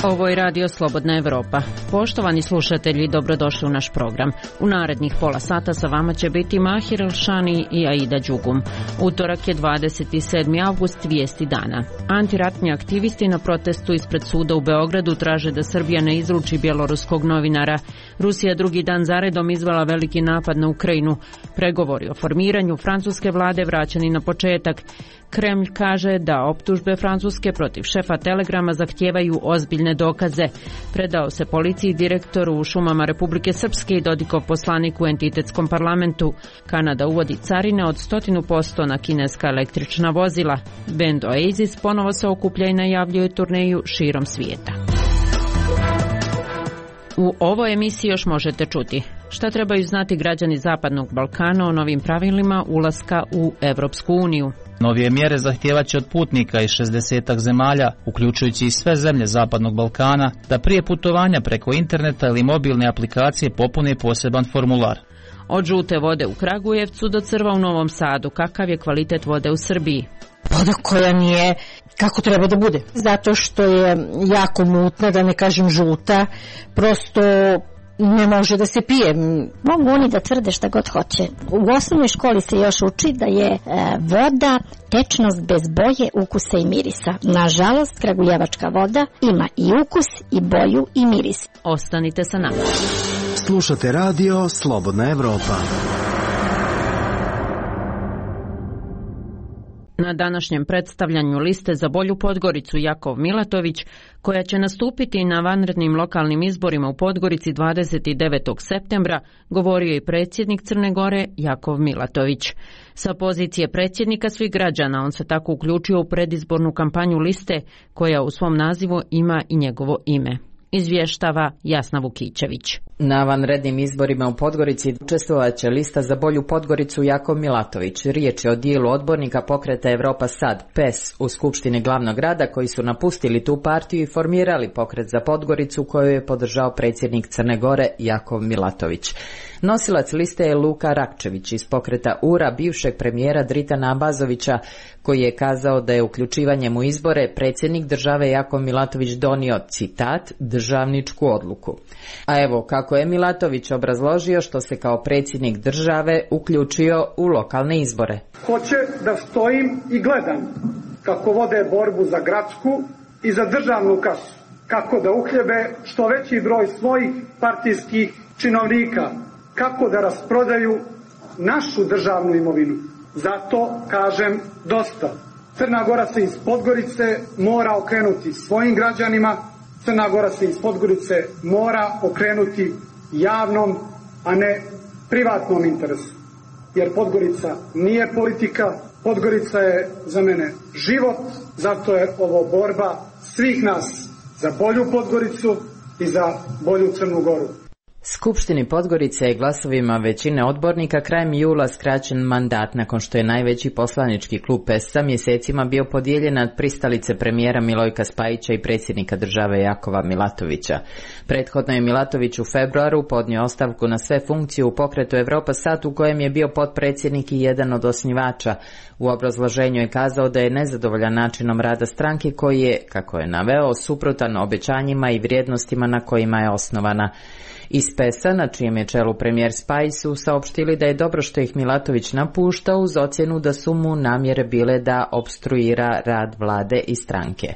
Ovo je Radio Slobodna Evropa. Poštovani slušatelji, dobrodošli u naš program. U narednih pola sata sa vama će biti Mahir Elšani i Aida Đugum. Utorak je 27. avgust, vijesti dana. Antiratni aktivisti na protestu ispred suda u Beogradu traže da Srbija ne izruči bjeloruskog novinara. Rusija drugi dan zaredom izvela veliki napad na Ukrajinu. Pregovori o formiranju francuske vlade vraćani na početak. Kremlj kaže da optužbe Francuske protiv šefa Telegrama zahtijevaju ozbiljne dokaze. Predao se policiji, direktoru u šumama Republike Srpske i Dodikov poslanik u entitetskom parlamentu. Kanada uvodi carine od 100% na kineska električna vozila. Band Oasis ponovo se okuplja i najavljuje turneju širom svijeta. U ovoj emisiji još možete čuti šta trebaju znati građani Zapadnog Balkana o novim pravilima ulaska u Evropsku uniju. Novije mjere zahtijevaće od putnika iz 60 zemalja, uključujući i sve zemlje Zapadnog Balkana, da prije putovanja preko interneta ili mobilne aplikacije popune poseban formular. Od žute vode u Kragujevcu do crva u Novom Sadu, kakav je kvalitet vode u Srbiji? Voda koja nije kako treba da bude. Zato što je jako mutna, da ne kažem žuta, prosto ne može da se pije. Mogu oni da tvrde šta god hoće. U osnovnoj školi se još uči da je voda tečnost bez boje, ukusa i mirisa. Nažalost, kragujevačka voda ima i ukus, i boju, i miris. Ostanite sa nama. Slušate radio Slobodna Evropa. Na današnjem predstavljanju liste za bolju Podgoricu Jakov Milatović, koja će nastupiti na vanrednim lokalnim izborima u Podgorici 29. septembra, govorio je predsjednik Crne Gore Jakov Milatović. Sa pozicije predsjednika svih građana on se tako uključio u predizbornu kampanju liste, koja u svom nazivu ima i njegovo ime. Izvještava Jasna Vukićević. Na vanrednim izborima u Podgorici učestvovat će lista za bolju Podgoricu Jakov Milatović. Riječ je o dijelu odbornika pokreta Evropa Sad, PES, u Skupštini glavnog grada, koji su napustili tu partiju i formirali pokret za Podgoricu, koju je podržao predsjednik Crne Gore Jakov Milatović. Nosilac liste je Luka Rakčević iz pokreta URA, bivšeg premijera Dritana Abazovića, koji je kazao da je uključivanjem u izbore predsjednik države Jakov Milatović donio, citat, državničku odluku. A evo kako je Milatović obrazložio što se kao predsjednik države uključio u lokalne izbore. Hoće da stojim i gledam kako vode borbu za gradsku i za državnu kasu, kako da uhljebe što veći broj svojih partijskih činovnika, kako da rasprodaju našu državnu imovinu. Zato kažem dosta. Crna Gora se iz Podgorice mora okrenuti svojim građanima, Crna Gora se iz Podgorice mora okrenuti javnom, a ne privatnom interesu. Jer Podgorica nije politika, Podgorica je za mene život, zato je ovo borba svih nas za bolju Podgoricu i za bolju Crnu Goru. Skupštini Podgorice je glasovima većine odbornika krajem jula skraćen mandat nakon što je najveći poslanički klub PES-a mjesecima bio podijeljen nad pristalice premijera Milojka Spajića i predsjednika države Jakova Milatovića. Prethodno je Milatović u februaru podnio ostavku na sve funkcije u pokretu Evropa Sad, u kojem je bio potpredsjednik i jedan od osnivača. U obrazloženju je kazao da je nezadovoljan načinom rada stranke koji je, kako je naveo, suprotan obećanjima i vrijednostima na kojima je osnovana. Iz PES-a, na čijem je čelu premijer Spajić, su saopštili da je dobro što ih Milatović napušta, uz ocjenu da su mu namjere bile da opstruira rad vlade i stranke.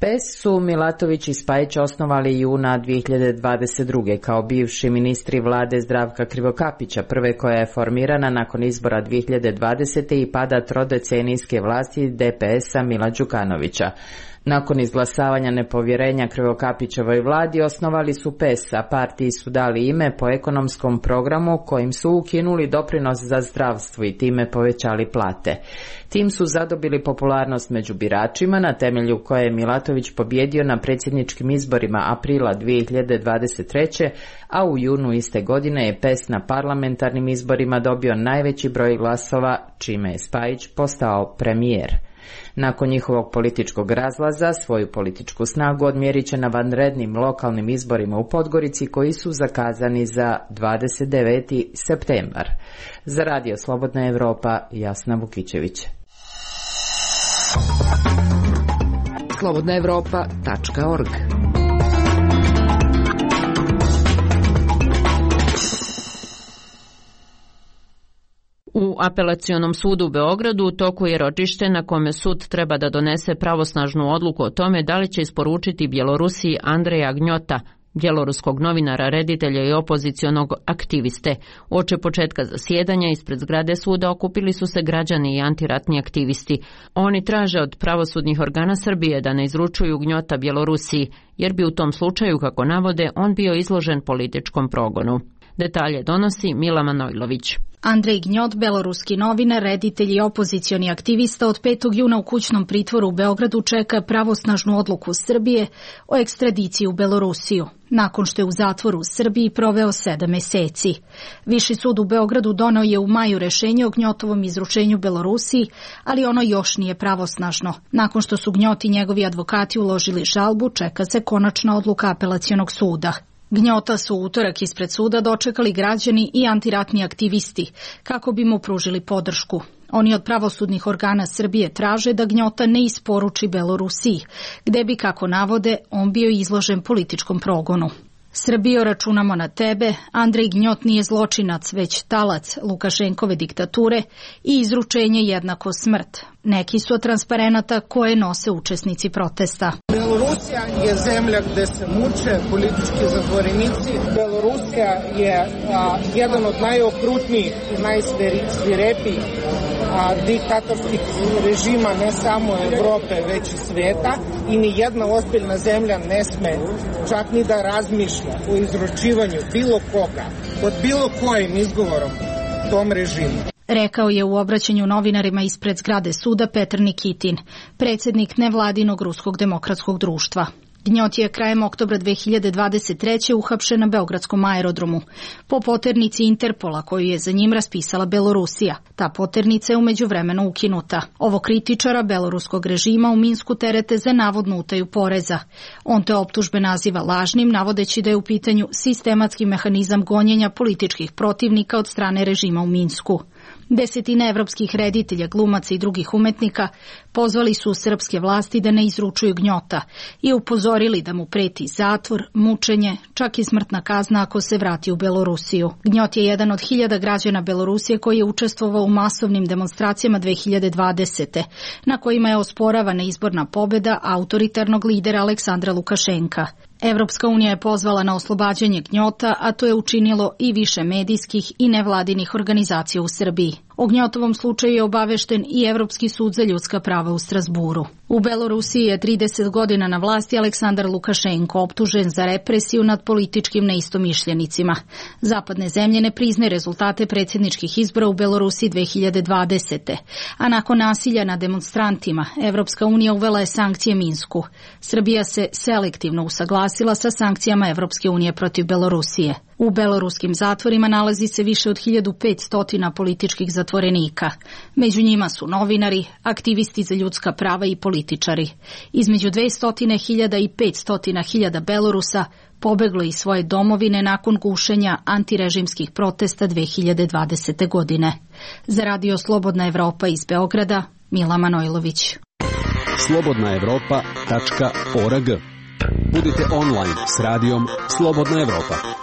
PES su Milatović i Spajić osnovali juna 2022. kao bivši ministri vlade Zdravka Krivokapića, prve koja je formirana nakon izbora 2020. i pada trodecenijske vlasti DPS-a Mila Đukanovića. Nakon izglasavanja nepovjerenja Krivokapićevoj vladi osnovali su PES, a partiji su dali ime po ekonomskom programu kojim su ukinuli doprinos za zdravstvo i time povećali plate. Tim su zadobili popularnost među biračima, na temelju koje je Milatović pobjedio na predsjedničkim izborima aprila 2023. a u junu iste godine je PES na parlamentarnim izborima dobio najveći broj glasova, čime je Spajić postao premijer. Nakon njihovog političkog razlaza, svoju političku snagu odmjerit će na vanrednim lokalnim izborima u Podgorici koji su zakazani za 29. septembar. Za Radio Slobodna Evropa, Jasna Vukićević. slobodnaevropa.org U apelacionom sudu u Beogradu u toku je ročište na kome sud treba da donese pravosnažnu odluku o tome da li će isporučiti Bjelorusiji Andreja Gnjota, bjeloruskog novinara, reditelja i opozicionog aktiviste. Uoči početka zasjedanja ispred zgrade suda okupili su se građani i antiratni aktivisti. Oni traže od pravosudnih organa Srbije da ne izručuju Gnjota Bjelorusiji, jer bi u tom slučaju, kako navode, on bio izložen političkom progonu. Detalje donosi Mila Manojlović. Andrej Gnjot, beloruski novinar, reditelj i opozicioni aktivista, od 5. juna u kućnom pritvoru u Beogradu čeka pravosnažnu odluku Srbije o ekstradiciji u Belorusiju, nakon što je u zatvoru u Srbiji proveo 7 meseci. Viši sud u Beogradu doneo je u maju rešenje o Gnjotovom izručenju Belorusiji, ali ono još nije pravosnažno. Nakon što su Gnjot i njegovi advokati uložili žalbu, čeka se konačna odluka apelacionog suda. Gnjota su u utorak ispred suda dočekali građani i antiratni aktivisti kako bi mu pružili podršku. Oni od pravosudnih organa Srbije traže da Gnjota ne isporuči Belorusiji, gde bi, kako navode, on bio izložen političkom progonu. Srbijo, računamo na tebe, Andrej Gnjot nije zločinac, već talac Lukašenkove diktature i izručenje jednako smrt. Neki su od transparenata koje nose učesnici protesta. Belorusija je zemlja gde se muče politički zatvorenici. Belorusija je jedan od najokrutnijih i najsvirepijih diktatorskih režima ne samo Evrope, već i sveta, i ni jedna ozbiljna zemlja ne sme čak ni da razmišlja o izručivanju bilo koga pod bilo kojim izgovorom tom režimu. Rekao je u obraćanju novinarima ispred zgrade suda Petar Nikitin, predsjednik nevladinog Ruskog demokratskog društva. Gnjot je krajem oktobra 2023. uhapšen na beogradskom aerodromu po poternici Interpola koju je za njim raspisala Belorusija. Ta poternica je u međuvremenu ukinuta. Ovo kritičara beloruskog režima u Minsku terete za navodnu utaju poreza. On te optužbe naziva lažnim, navodeći da je u pitanju sistematski mehanizam gonjenja političkih protivnika od strane režima u Minsku. Desetine evropskih reditelja, glumaca i drugih umetnika pozvali su srpske vlasti da ne izručuju Gnjota i upozorili da mu preti zatvor, mučenje, čak i smrtna kazna ako se vrati u Belorusiju. Gnjot je jedan od 1000 građana Belorusije koji je učestvovao u masovnim demonstracijama 2020. na kojima je osporavana izborna pobjeda autoritarnog lidera Aleksandra Lukašenka. Evropska unija je pozvala na oslobađanje Gnjota, a to je učinilo i više medijskih i nevladinih organizacija u Srbiji. O Gnjotovom slučaju je obavešten i Evropski sud za ljudska prava u Strasburu. U Belorusiji je 30 godina na vlasti Aleksandar Lukašenko, optužen za represiju nad političkim neistomišljenicima. Zapadne zemlje ne priznaju rezultate predsjedničkih izbora u Belorusiji 2020. A nakon nasilja nad demonstrantima, Evropska unija uvela je sankcije Minsku. Srbija se selektivno usaglasila sa sankcijama Evropske unije protiv Belorusije. U beloruskim zatvorima nalazi se više od 1500 političkih zatvorenika. Među njima su novinari, aktivisti za ljudska prava i političari. Između 200.000 i 500.000 Belorusa pobeglo iz svoje domovine nakon gušenja antirežimskih protesta 2020. godine. Za Radio Slobodna Evropa iz Beograda, Mila Manojlović. slobodnaevropa.org. Budite online s radijom Slobodna Evropa.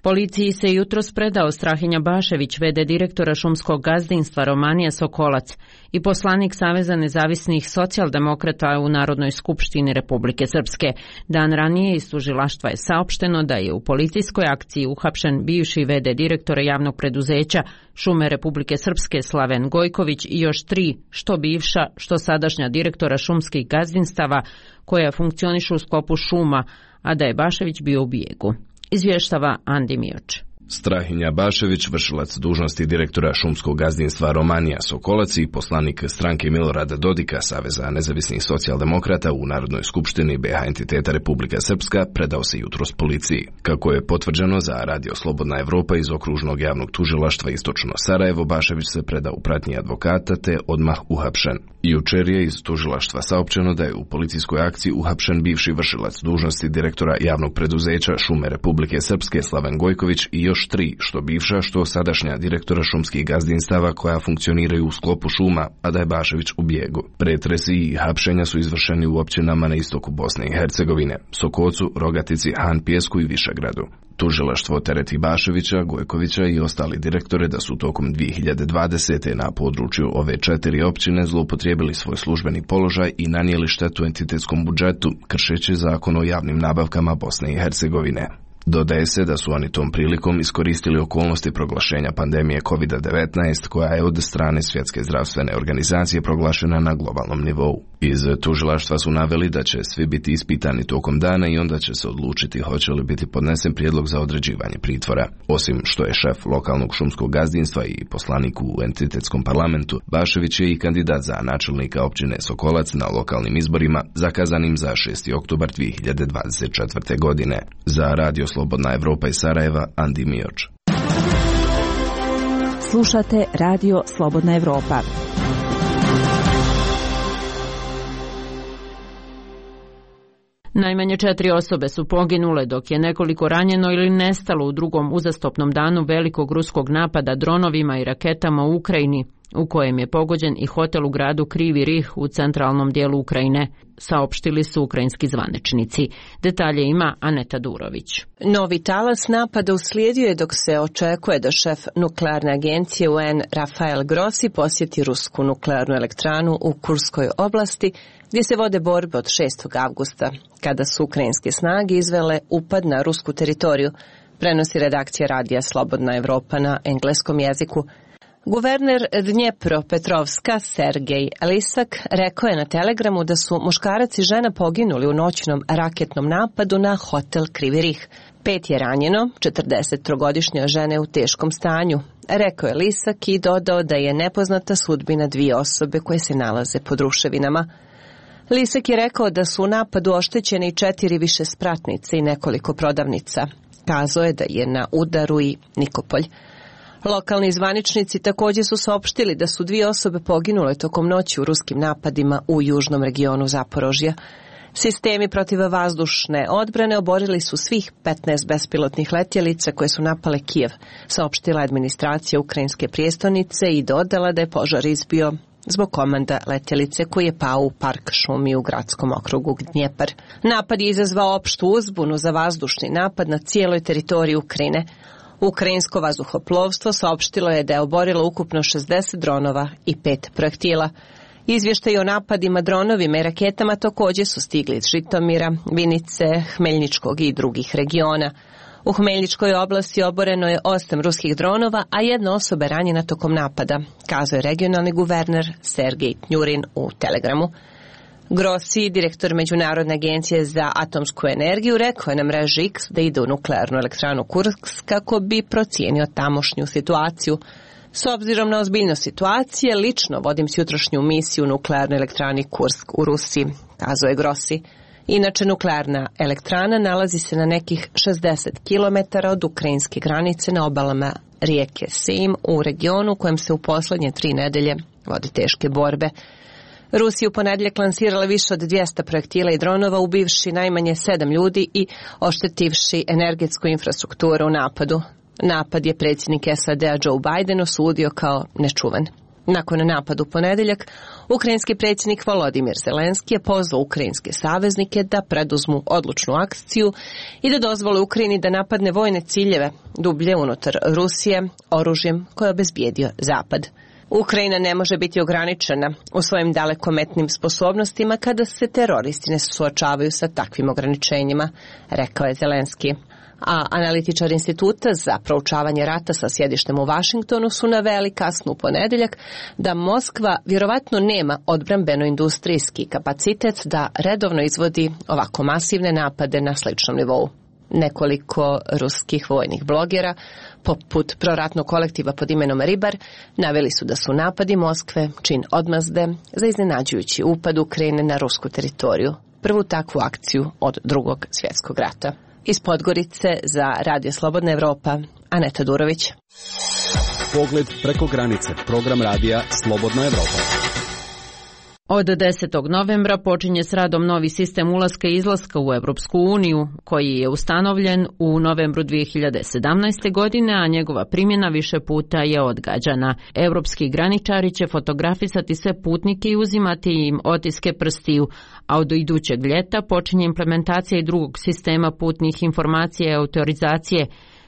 Policiji se jutros predao Strahinja Bašević, v.d. direktora šumskog gazdinstva Romanija Sokolac i poslanik Saveza nezavisnih socijaldemokrata u Narodnoj skupštini Republike Srpske. Dan ranije iz tužilaštva je saopšteno da je u policijskoj akciji uhapšen bivši v.d. direktora javnog preduzeća Šume Republike Srpske Slaven Gojković i još 3, što bivša, što sadašnja direktora šumskih gazdinstava koja funkcionišu u sklopu šuma, a da je Bašević bio u bijegu. Izvještava Andi Mioč. Strahinja Bašević, vršilac dužnosti direktora šumskog gazdinstva Romanija Sokolac i poslanik stranke Milorada Dodika, Saveza nezavisnih socijaldemokrata u Narodnoj skupštini BiH entiteta Republika Srpska, predao se jutros policiji. Kako je potvrđeno za Radio Slobodna Evropa iz okružnog javnog tužilaštva Istočno Sarajevo, Bašević se predao u pratnji advokata te odmah uhapšen. Jučer je iz tužilaštva saopćeno da je u policijskoj akciji uhapšen bivši vršilac dužnosti direktora javnog preduzeća Šume Republike Srpske Slaven Gojković i još još 3, što bivša, što sadašnja direktora šumskih gazdinstava koja funkcioniraju u sklopu šuma, a da je Bašević u bijegu. Pretresi i hapšenja su izvršeni u općinama na istoku Bosne i Hercegovine, Sokocu, Rogatici, Han Pijesku i Višegradu. Tužilaštvo tereti Baševića, Gojkovića i ostali direktore da su tokom 2020. na području ove 4 općine zloupotrijebili svoj službeni položaj i nanijeli štetu entitetskom budžetu, kršeći zakon o javnim nabavkama Bosne i Hercegovine. Dodaje se da su oni tom prilikom iskoristili okolnosti proglašenja pandemije COVID-19 koja je od strane Svjetske zdravstvene organizacije proglašena na globalnom nivou. Iz tužilaštva su naveli da će svi biti ispitani tokom dana i onda će se odlučiti hoće li biti podnesen prijedlog za određivanje pritvora. Osim što je šef lokalnog šumskog gazdinstva i poslanik u entitetskom parlamentu, Bašević je i kandidat za načelnika općine Sokolac na lokalnim izborima zakazanim za 6. oktobar 2024. godine. Za Radio Slobodna Evropa iz Sarajeva, Andi Mioč. Slušate Radio Slobodna Evropa. Najmanje 4 osobe su poginule, dok je nekoliko ranjeno ili nestalo u drugom uzastopnom danu velikog ruskog napada dronovima i raketama u Ukrajini, u kojem je pogođen i hotel u gradu Krivi Rih u centralnom dijelu Ukrajine, saopštili su ukrajinski zvaničnici. Detalje ima Aneta Durović. Novi talas napada uslijedio je dok se očekuje da šef nuklearne agencije UN Rafael Grossi posjeti rusku nuklearnu elektranu u Kurskoj oblasti, gdje se vode borbe od 6. avgusta, kada su ukrajinske snage izvele upad na rusku teritoriju, prenosi redakcija radija Slobodna Evropa na engleskom jeziku. Guverner Dnjepropetrovska Sergej Lisak rekao je na Telegramu da su muškarac i žena poginuli u noćnom raketnom napadu na hotel Krivi Rih. 5 je ranjeno, 43-godišnja žena je u teškom stanju, rekao je Lisak i dodao da je nepoznata sudbina 2 osobe koje se nalaze pod ruševinama. Lisak je rekao da su u napadu oštećene i 4 višespratnice i nekoliko prodavnica. Kazao je da je na udaru i Nikopolj. Lokalni zvaničnici također su saopštili da su 2 osobe poginule tokom noći u ruskim napadima u južnom regionu Zaporožja. Sistemi protivvazdušne odbrane oborili su svih 15 bespilotnih letjelica koje su napale Kijev, saopštila administracija ukrajinske prijestolnice i dodala da je požar izbio zbog komanda letjelice koji je pao u park šumi u gradskom okrugu Dnjepar. Napad je izazvao opštu uzbunu za vazdušni napad na cijeloj teritoriji Ukrajine. Ukrajinsko vazduhoplovstvo saopštilo je da je oborilo ukupno 60 dronova i 5 projektila. Izvještaji o napadima dronovima i raketama također su stigli iz Žitomira, Vinice, Hmeljničkog i drugih regiona. U Hmeljničkoj oblasti oboreno je 8 ruskih dronova, a 1 osoba je ranjena tokom napada, kazao je regionalni guverner Sergej Tnjurin u Telegramu. Grossi, direktor Međunarodne agencije za atomsku energiju, rekao je na mreži X da ide u nuklearnu elektranu Kursk kako bi procijenio tamošnju situaciju. S obzirom na ozbiljnost situacije, lično vodim jutrošnju misiju u nuklearnoj elektrani Kursk u Rusiji, kazao je Grossi. Inače, nuklearna elektrana nalazi se na nekih 60 km od ukrajinske granice na obalama rijeke Sejm u regionu u kojem se u posljednje 3 nedelje vodi teške borbe. Rusija u ponedjeljak lansirala više od 200 projektila i dronova, ubivši najmanje 7 ljudi i oštetivši energetsku infrastrukturu u napadu. Napad je predsjednik SAD-a Joe Biden osudio kao nečuvan. Nakon napada u ponedjeljak, ukrajinski predsjednik Volodimir Zelenski je pozvao ukrajinske saveznike da preduzmu odlučnu akciju i da dozvole Ukrajini da napadne vojne ciljeve dublje unutar Rusije oružjem koje je obezbijedio Zapad. Ukrajina ne može biti ograničena u svojim dalekometnim sposobnostima kada se teroristi ne suočavaju sa takvim ograničenjima, rekao je Zelenski. A analitičar Instituta za proučavanje rata sa sjedištem u Vašingtonu su naveli kasno u ponedjeljak da Moskva vjerovatno nema odbrambeno-industrijski kapacitet da redovno izvodi ovako masivne napade na sličnom nivou. Nekoliko ruskih vojnih blogera, poput proratnog kolektiva pod imenom Ribar, naveli su da su napadi Moskve čin odmazde za iznenađujući upad Ukrajine na rusku teritoriju, prvu takvu akciju od Drugog svjetskog rata. Iz Podgorice za Radio Slobodna Evropa, Aneta Durović. Pogled preko granice, program radija Slobodna Evropa. Od 10. novembra počinje s radom novi sistem ulaska i izlaska u Europsku uniju, koji je ustanovljen u novembru 2017. godine, a njegova primjena više puta je odgađana. Europski graničari će fotografisati sve putnike i uzimati im otiske prstiju, a od idućeg ljeta počinje implementacija i drugog sistema putnih informacija i autorizacije,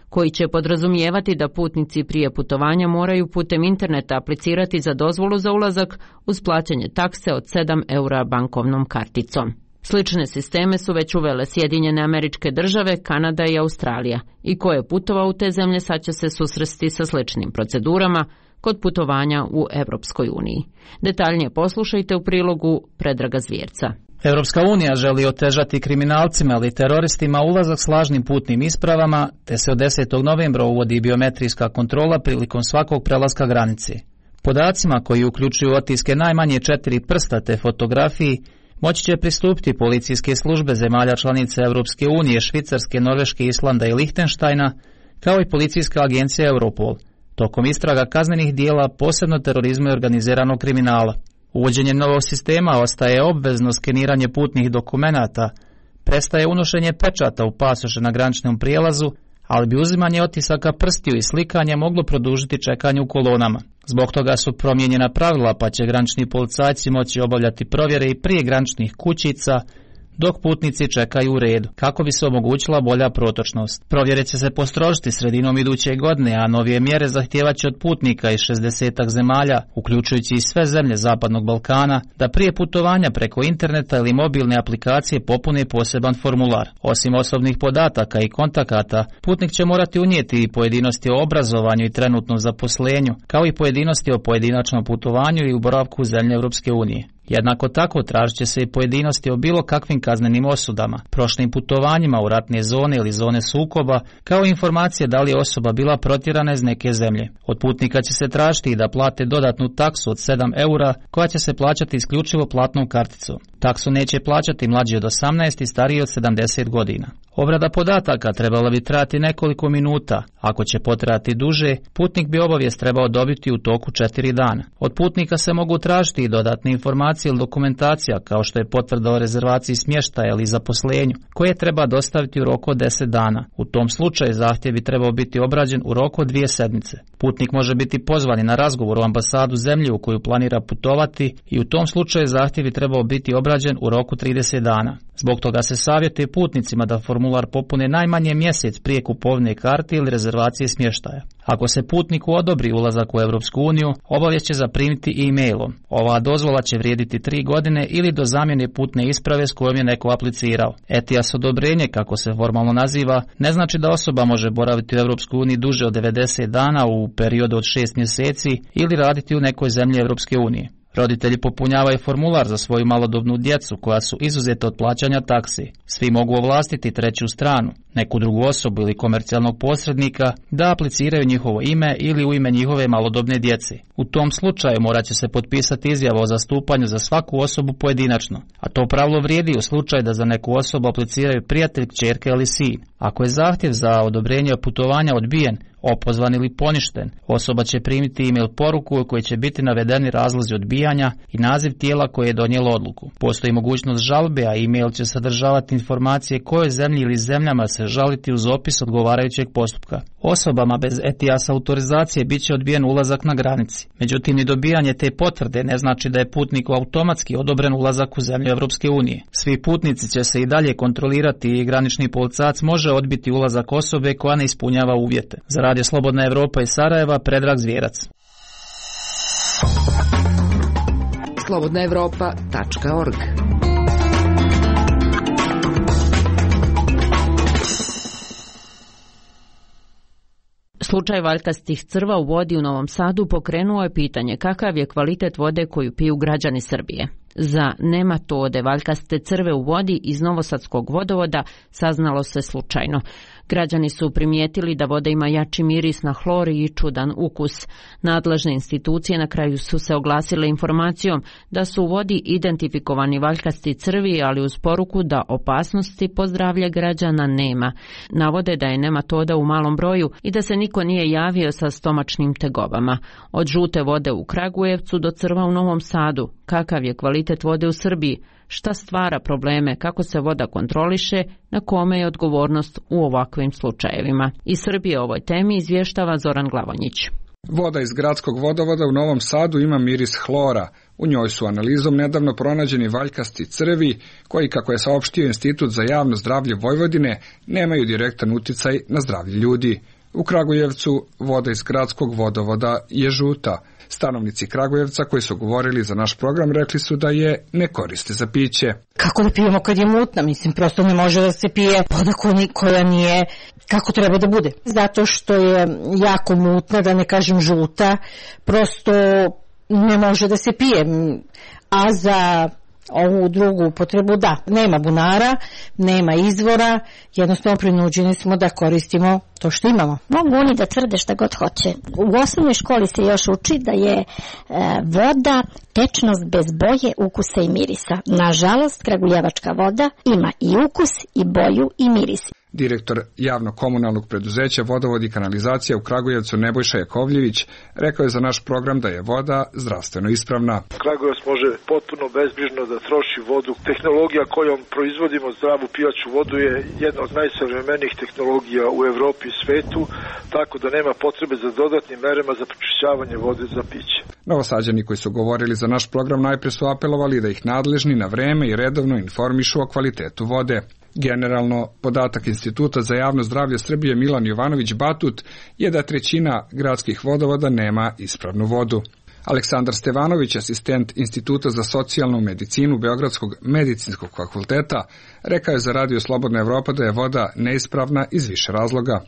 koji će podrazumijevati da putnici prije putovanja moraju putem interneta aplicirati za dozvolu za ulazak uz plaćanje takse od 7 eura bankovnom karticom. Slične sisteme su već uvele Sjedinjene Američke Države, Kanada i Australija, i ko je putovao u te zemlje sad će se susresti sa sličnim procedurama kod putovanja u Europskoj uniji. Detaljnije poslušajte u prilogu Predraga Zvjerca. Europska unija želi otežati kriminalcima ili teroristima ulazak s lažnim putnim ispravama, te se od 10. novembra uvodi biometrijska kontrola prilikom svakog prelaska granice. Podacima koji uključuju otiske najmanje 4 prsta te fotografiji moći će pristupiti policijske službe zemalja članica Europske unije, Švicarske, Norveške, Islanda i Lihtenštajna, kao i policijska agencija Europol, tokom istraga kaznenih dijela, posebno terorizma i organiziranog kriminala. Uvođenjem novog sistema ostaje obvezno skeniranje putnih dokumenata, prestaje unošenje pečata u pasoše na graničnom prijelazu, ali bi uzimanje otisaka prstiju i slikanje moglo produžiti čekanje u kolonama. Zbog toga su promijenjena pravila, pa će granični policajci moći obavljati provjere i prije graničnih kućica, dok putnici čekaju u redu, kako bi se omogućila bolja protočnost. Provjere će se postrožiti sredinom iduće godine, a novije mjere zahtijevaće od putnika iz 60 zemalja, uključujući i sve zemlje Zapadnog Balkana, da prije putovanja preko interneta ili mobilne aplikacije popune poseban formular. Osim osobnih podataka i kontakata, putnik će morati unijeti i pojedinosti o obrazovanju i trenutnom zaposlenju, kao i pojedinosti o pojedinačnom putovanju i u boravku u zemlje Europske unije. Jednako tako tražit će se i pojedinosti o bilo kakvim kaznenim osudama, prošlim putovanjima u ratne zone ili zone sukoba, kao i informacije da li je osoba bila protjerana iz neke zemlje. Od putnika će se tražiti i da plate dodatnu taksu od 7 eura, koja će se plaćati isključivo platnom karticom. Taksu neće plaćati mlađi od 18 i stariji od 70 godina. Obrada podataka trebala bi trajati nekoliko minuta. Ako će potrajati duže, putnik bi obavijest trebao dobiti u toku 4 dana. Od putnika se mogu tražiti i dodatne informacije ili dokumentacija, kao što je potvrda o rezervaciji smještaja ili zaposlenju, koje treba dostaviti u roku od 10 dana. U tom slučaju zahtjev bi trebao biti obrađen u roku od 2 sedmice. Putnik može biti pozvan na razgovor u ambasadu zemlje u koju planira putovati i u tom slučaju zahtjev bi trebao biti obrađen u roku 30 dana. Zbog toga se savjetuje putnicima da formular popune najmanje mjesec prije kupovne karte ili rezervacije smještaja. Ako se putniku odobri ulazak u Europsku uniju, obavijest će zaprimiti e-mailom. Ova dozvola će vrijediti 3 godine ili do zamjene putne isprave s kojom je neko aplicirao. ETIAS odobrenje, kako se formalno naziva, ne znači da osoba može boraviti u Europskoj uniji duže od 90 dana u periodu od 6 mjeseci ili raditi u nekoj zemlji Europske unije. Roditelji popunjavaju formular za svoju malodobnu djecu koja su izuzeta od plaćanja taksi. Svi mogu ovlastiti treću stranu, neku drugu osobu ili komercijalnog posrednika da apliciraju njihovo ime ili u ime njihove malodobne djece. U tom slučaju morat će se potpisati izjava o zastupanju za svaku osobu pojedinačno, a to pravilo vrijedi u slučaju da za neku osobu apliciraju prijatelj, kćerka ili sin. Ako je zahtjev za odobrenje putovanja odbijen, opozvan ili poništen, osoba će primiti e-mail poruku u kojoj će biti navedeni razlozi odbijanja i naziv tijela koje je donijelo odluku. Postoji mogućnost žalbe, a e-mail će sadržavati informacije kojoj zemlji ili zemljama se žaliti uz opis odgovarajućeg postupka. Osobama bez ETIAS autorizacije bit će odbijen ulazak na granici. Međutim, i dobijanje te potvrde ne znači da je putniku automatski odobren ulazak u zemlju Europske unije. Svi putnici će se i dalje kontrolirati i granični policajac može odbiti ulazak osobe koja ne ispunjava uvjete. Za Radio Slobodna Evropa iz Sarajeva, Predrag Zvjerac. slobodnaevropa.org. Slučaj valjkastih crva u vodi u Novom Sadu pokrenuo je pitanje kakav je kvalitet vode koju piju građani Srbije. Za nematode valjkaste crve u vodi iz Novosadskog vodovoda saznalo se slučajno. Građani su primijetili da voda ima jači miris na hlor i čudan ukus. Nadležne institucije na kraju su se oglasile informacijom da su u vodi identifikovani valjkasti crvi, ali uz poruku da opasnosti po zdravlje građana nema. Navode da je nematoda u malom broju i da se niko nije javio sa stomačnim tegobama. Od žute vode u Kragujevcu do crva u Novom Sadu. Kakav je kvalitet kvalitet vode u Srbiji, šta stvara probleme, kako se voda kontroliše, na kome je odgovornost u ovakvim slučajevima. Iz Srbije o ovoj temi izvještava Zoran Glavonjić. Voda iz gradskog vodovoda u Novom Sadu ima miris hlora. U njoj su analizom nedavno pronađeni valjkasti crvi, koji, kako je saopštio Institut za javno zdravlje Vojvodine, nemaju direktan uticaj na zdravlje ljudi. U Kragujevcu voda iz gradskog vodovoda je žuta. Stanovnici Kragujevca koji su govorili za naš program rekli su da je ne koriste za piće. Kako da pijemo kad je mutna? Mislim, prosto ne može da se pije voda koja nije kako treba da bude. Zato što je jako mutna, da ne kažem žuta, prosto ne može da se pije. A za ovu drugu upotrebu da, nema bunara, nema izvora, jednostavno prinuđeni smo da koristimo to što imamo. Mogu oni da tvrde šta god hoće. U osnovnoj školi se još uči da je voda tečnost bez boje, ukusa i mirisa. Nažalost, kragujevačka voda ima i ukus, i boju, i miris. Direktor javno-komunalnog preduzeća Vodovod i kanalizacija u Kragujevcu Nebojša Jakovljević rekao je za naš program da je voda zdravstveno ispravna. Kragujevac može potpuno bezbrižno da troši vodu. Tehnologija kojom proizvodimo zdravu pijaću vodu je jedna od najsavremenijih tehnologija u Evropi i svetu, tako da nema potrebe za dodatnim merama za pročišćavanje vode za piće. Novosađani koji su govorili za naš program najpre su apelovali da ih nadležni na vreme i redovno informišu o kvalitetu vode. Generalno, podatak Instituta za javno zdravlje Srbije Milan Jovanović Batut je da trećina gradskih vodovoda nema ispravnu vodu. Aleksandar Stevanović, asistent Instituta za socijalnu medicinu Beogradskog medicinskog fakulteta, rekao je za Radio Slobodna Evropa da je voda neispravna iz više razloga.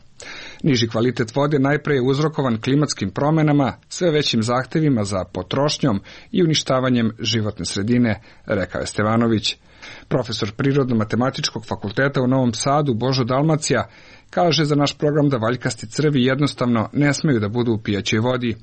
Niži kvalitet vode najpre je uzrokovan klimatskim promenama, sve većim zahtevima za potrošnjom i uništavanjem životne sredine, rekao je Stevanović. Profesor Prirodno-matematičkog fakulteta u Novom Sadu Božo Dalmacija kaže za naš program da valjkasti crvi jednostavno ne smeju da budu u pijaćoj vodi.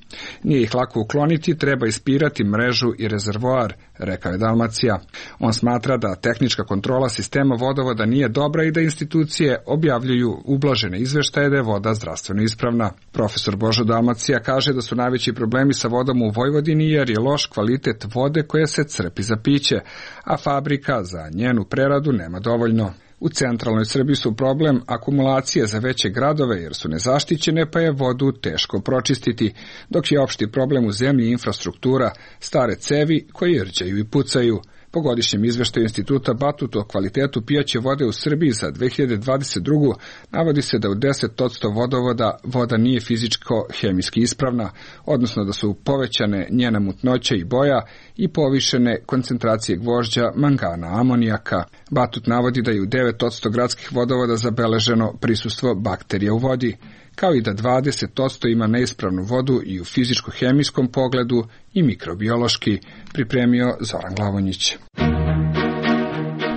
Nije ih lako ukloniti, treba ispirati mrežu i rezervoar, rekao je Dalmacija. On smatra da tehnička kontrola sistema vodovoda nije dobra i da institucije objavljuju ublažene izveštaje da je voda zdravstveno ispravna. Profesor Božo Dalmacija kaže da su najveći problemi sa vodom u Vojvodini jer je loš kvalitet vode koja se crpi za piće, a fabrika za njenu preradu nema dovoljno. U centralnoj Srbiji su problem akumulacije za veće gradove jer su nezaštićene pa je vodu teško pročistiti, dok je opšti problem u zemlji infrastruktura, stare cevi koje rđaju i pucaju. Po godišnjem izveštaju Instituta Batut o kvalitetu pijaće vode u Srbiji za 2022. navodi se da u 10% vodovoda voda nije fizičko-hemijski ispravna, odnosno da su povećane njena mutnoća i boja i povišene koncentracije gvožđa, mangana, amonijaka. Batut navodi da je u 9% gradskih vodovoda zabeleženo prisustvo bakterija u vodi, kao i da 20% ima neispravnu vodu i u fizičko-hemijskom pogledu i mikrobiološki, pripremio Zoran Glavonjić.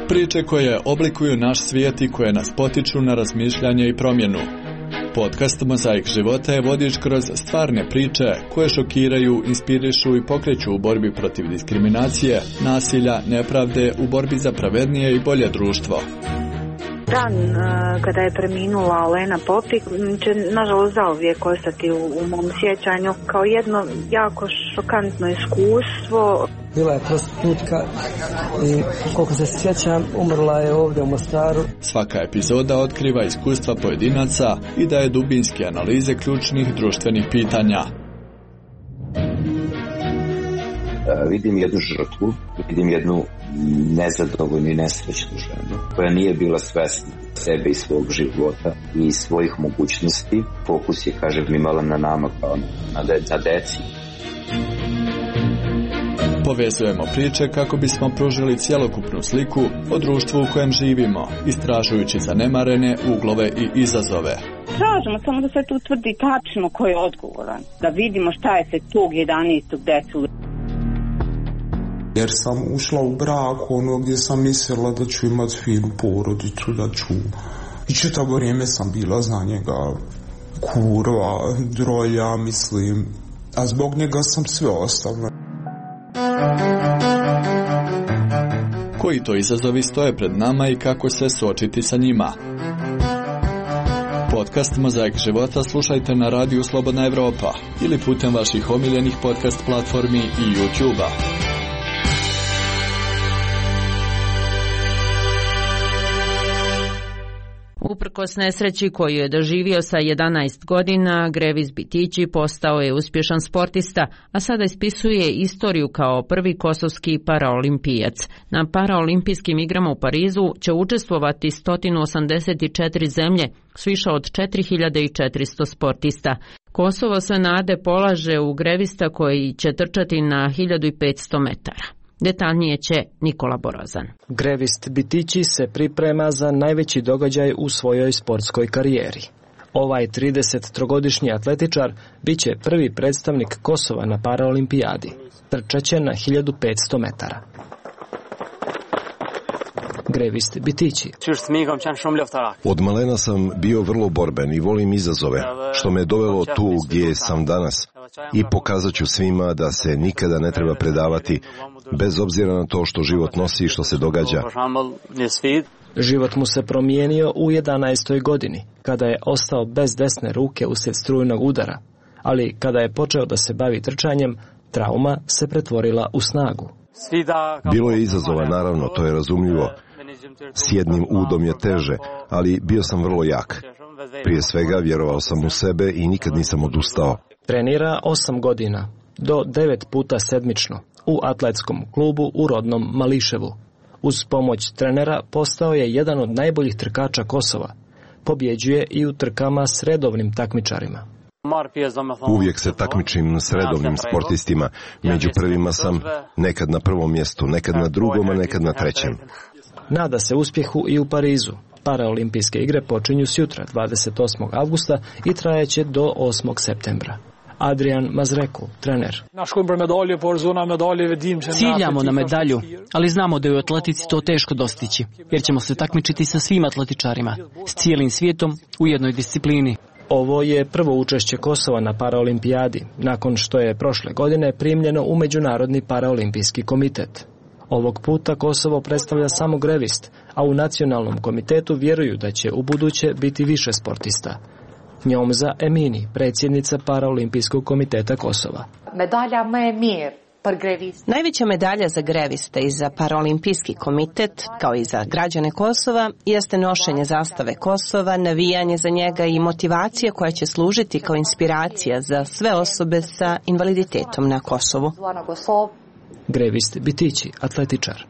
Priče koje oblikuju naš svijet i koje nas potiču na razmišljanje i promjenu. Podcast Mozaik života je vodič kroz stvarne priče koje šokiraju, inspirišu i pokreću u borbi protiv diskriminacije, nasilja, nepravde, u borbi za pravednije i bolje društvo. Dan kada je preminula Olena Popik će nažalost zauvijek ostati u mom sjećanju kao jedno jako šokantno iskustvo. Bila je prostitutka i koliko se sjećam umrla je ovdje u Mostaru. Svaka epizoda otkriva iskustva pojedinaca i daje dubinske analize ključnih društvenih pitanja. Vidim jednu žrtvu, vidim jednu nezadovoljnu i nesrećnu ženu koja nije bila svesna sebe i svog života i svojih mogućnosti. Fokus je, kažem, imala na nama kao na deci. Povezujemo priče kako bismo pružili cjelokupnu sliku o društvu u kojem živimo, istražujući zanemarene uglove i izazove. Tražimo samo da se tu utvrdi tačno ko je odgovoran, da vidimo šta je se tog 11. decu. Jer sam ušla u brak gdje sam mislila da ću imati finu porodicu, da ću... I čitavo vrijeme sam bila za njega kurva, drolja, mislim. A zbog njega sam sve ostavila. Koji to izazovi stoje pred nama i kako se suočiti sa njima? Podcast Mozaik života slušajte na radiju Slobodna Evropa ili putem vaših omiljenih podcast platformi i YouTube-a. Uprkos nesreći koju je doživio sa 11 godina, Grevis Bitići postao je uspješan sportista, a sada ispisuje istoriju kao prvi kosovski paraolimpijac. Na paraolimpijskim igrama u Parizu će učestvovati 184 zemlje s više od 4400 sportista. Kosovo sve nade polaže u grevista koji će trčati na 1500 metara. Detaljnije će Nikola Borozan. Grevist Bitići se priprema za najveći događaj u svojoj sportskoj karijeri. Ovaj 33-godišnji atletičar bit će prvi predstavnik Kosova na paraolimpijadi. Trčaće na 1500 metara. Grevist Bitići. Od malena sam bio vrlo borben i volim izazove, što me dovelo tu gdje sam danas. I pokazat ću svima da se nikada ne treba predavati, bez obzira na to što život nosi i što se događa. Život mu se promijenio u 11. godini, kada je ostao bez desne ruke uslijed strujnog udara. Ali kada je počeo da se bavi trčanjem, trauma se pretvorila u snagu. Bilo je izazova, naravno, to je razumljivo. S jednim udom je teže, ali bio sam vrlo jak. Prije svega vjerovao sam u sebe i nikad nisam odustao. Trenira 8 godina, do 9 puta sedmično, u atletskom klubu u rodnom Mališevu. Uz pomoć trenera postao je jedan od najboljih trkača Kosova. Pobjeđuje i u trkama s redovnim takmičarima. Uvijek se takmičim s redovnim sportistima. Među prvima sam, nekad na prvom mjestu, nekad na drugom, a nekad na trećem. Nada se uspjehu i u Parizu. Paraolimpijske igre počinju sjutra, 28. avgusta i trajeće do 8. septembra. Adrian Mazreku, trener. Ciljamo na medalju, ali znamo da je u atletici to teško dostići, jer ćemo se takmičiti sa svim atletičarima, s cijelim svijetom u jednoj disciplini. Ovo je prvo učešće Kosova na paraolimpijadi, nakon što je prošle godine primljeno u Međunarodni paraolimpijski komitet. Ovog puta Kosovo predstavlja samo grevist, a u nacionalnom komitetu vjeruju da će u buduće biti više sportista. Njomza Emini, predsjednica Paraolimpijskog komiteta Kosova. Medalja me mir. Najveća medalja za greviste i za Paraolimpijski komitet, kao i za građane Kosova, jeste nošenje zastave Kosova, navijanje za njega i motivacija koja će služiti kao inspiracija za sve osobe sa invaliditetom na Kosovu. Grevist Bitići, atletičar.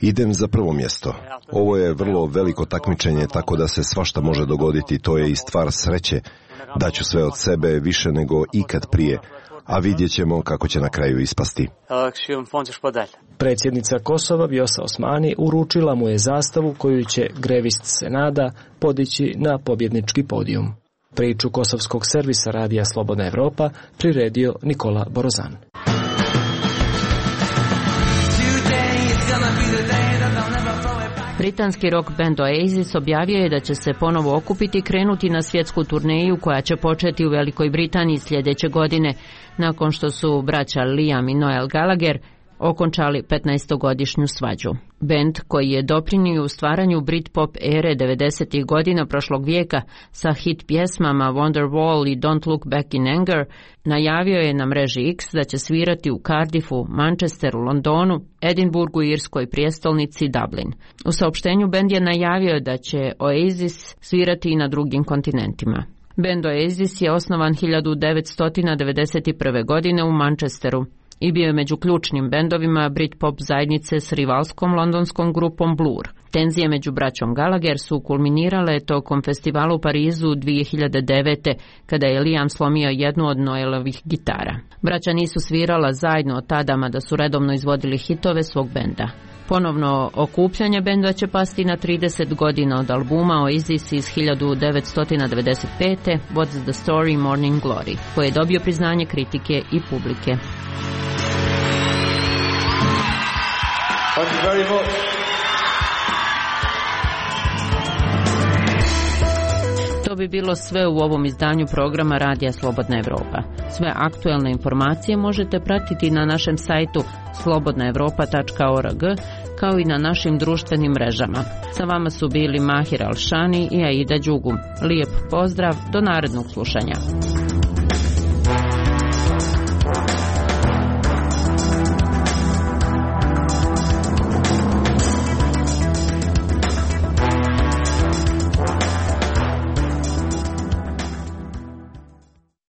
Idem za prvo mjesto. Ovo je vrlo veliko takmičenje, tako da se svašta može dogoditi. To je i stvar sreće. Daću sve od sebe više nego ikad prije, a vidjet ćemo kako će na kraju ispasti. Predsjednica Kosova Vjosa Osmani uručila mu je zastavu koju će grevist Senada podići na pobjednički podijum. Priču kosovskog servisa Radija Slobodna Evropa priredio Nikola Borozan. Britanski rock band Oasis objavio je da će se ponovo okupiti i krenuti na svjetsku turneju koja će početi u Velikoj Britaniji sljedeće godine, nakon što su braća Liam i Noel Gallagher okončali 15-godišnju svađu. Band, koji je doprinio u stvaranju Britpop ere 90. godina prošlog vijeka sa hit pjesmama Wonderwall i Don't Look Back in Anger, najavio je na mreži X da će svirati u Cardiffu, Manchesteru, Londonu, Edinburgu i irskoj prijestolnici Dublin. U saopštenju band je najavio da će Oasis svirati i na drugim kontinentima. Band Oasis je osnovan 1991. godine u Manchesteru i bio je među ključnim bendovima Britpop zajednice s rivalskom londonskom grupom Blur. Tenzije među braćom Gallagher su kulminirale tokom festivala u Parizu 2009. kada je Liam slomio jednu od Noelovih gitara. Braća nisu svirala zajedno od tada, mada su redovno izvodili hitove svog benda. Ponovno okupljanje benda će pasti na 30 godina od albuma Oasis iz 1995. What's the Story Morning Glory, koji je dobio priznanje kritike i publike. Thank you very much. To bi bilo sve u ovom izdanju programa Radija Slobodna Evropa. Sve aktuelne informacije možete pratiti na našem sajtu slobodnaevropa.org, kao i na našim društvenim mrežama. Sa vama su bili Mahir Alšani i Aida Đugum. Lijep pozdrav, do narednog slušanja.